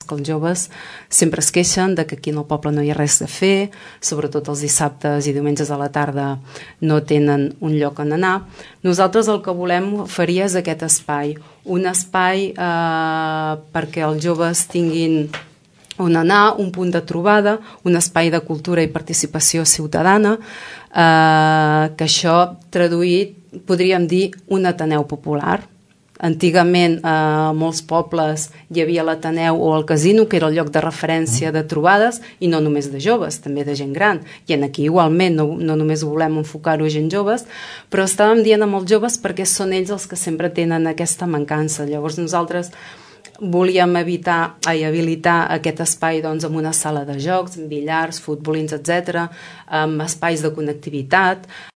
que els joves sempre es queixen de que aquí al poble no hi ha res a fer, sobretot els dissabtes i diumenges a la tarda no tenen un lloc on anar. Nosaltres el que volem oferir és aquest espai, un espai perquè els joves tinguin on anar, un punt de trobada, un espai de cultura i participació ciutadana, que això traduït podríem dir un Ateneu popular. Antigament a molts pobles hi havia l'Ateneu o el casino, que era el lloc de referència de trobades, i no només de joves, també de gent gran. I aquí igualment no només volem enfocar-ho a gent joves, però estàvem dient amb els joves perquè són ells els que sempre tenen aquesta mancança. Llavors nosaltres volíem habilitar aquest espai amb una sala de jocs, amb billars, futbolins, etc., amb espais de connectivitat,